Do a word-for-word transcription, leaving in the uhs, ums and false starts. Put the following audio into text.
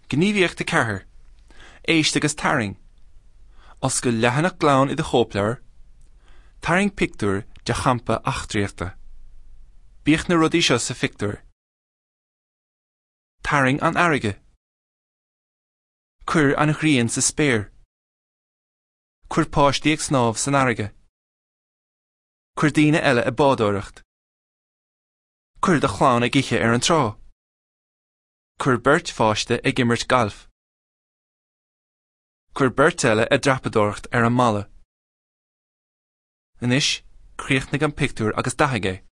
Gníomhaíocht a ceathair. Éist agus tarraing. Oscail leathanach glan i do chóipleabhar. Tarraing pictiúr de champa eachtraíochta. Bíodh na rudaí seo sa phictiúr. Tarraing an fharraige. Cuir an ghrian sa spéir. Cuir páistí ag snámh san fharraige. Cuir daoine eile ag bádóireacht. Cuir do chlann ag ithe ar an trá. Cuir beirt pháiste ag imirt gailf. Cuir beirt eile ag dreapadóireacht ar an mballa. Anois, críochnaigh an pictiúr agus dathaigh é.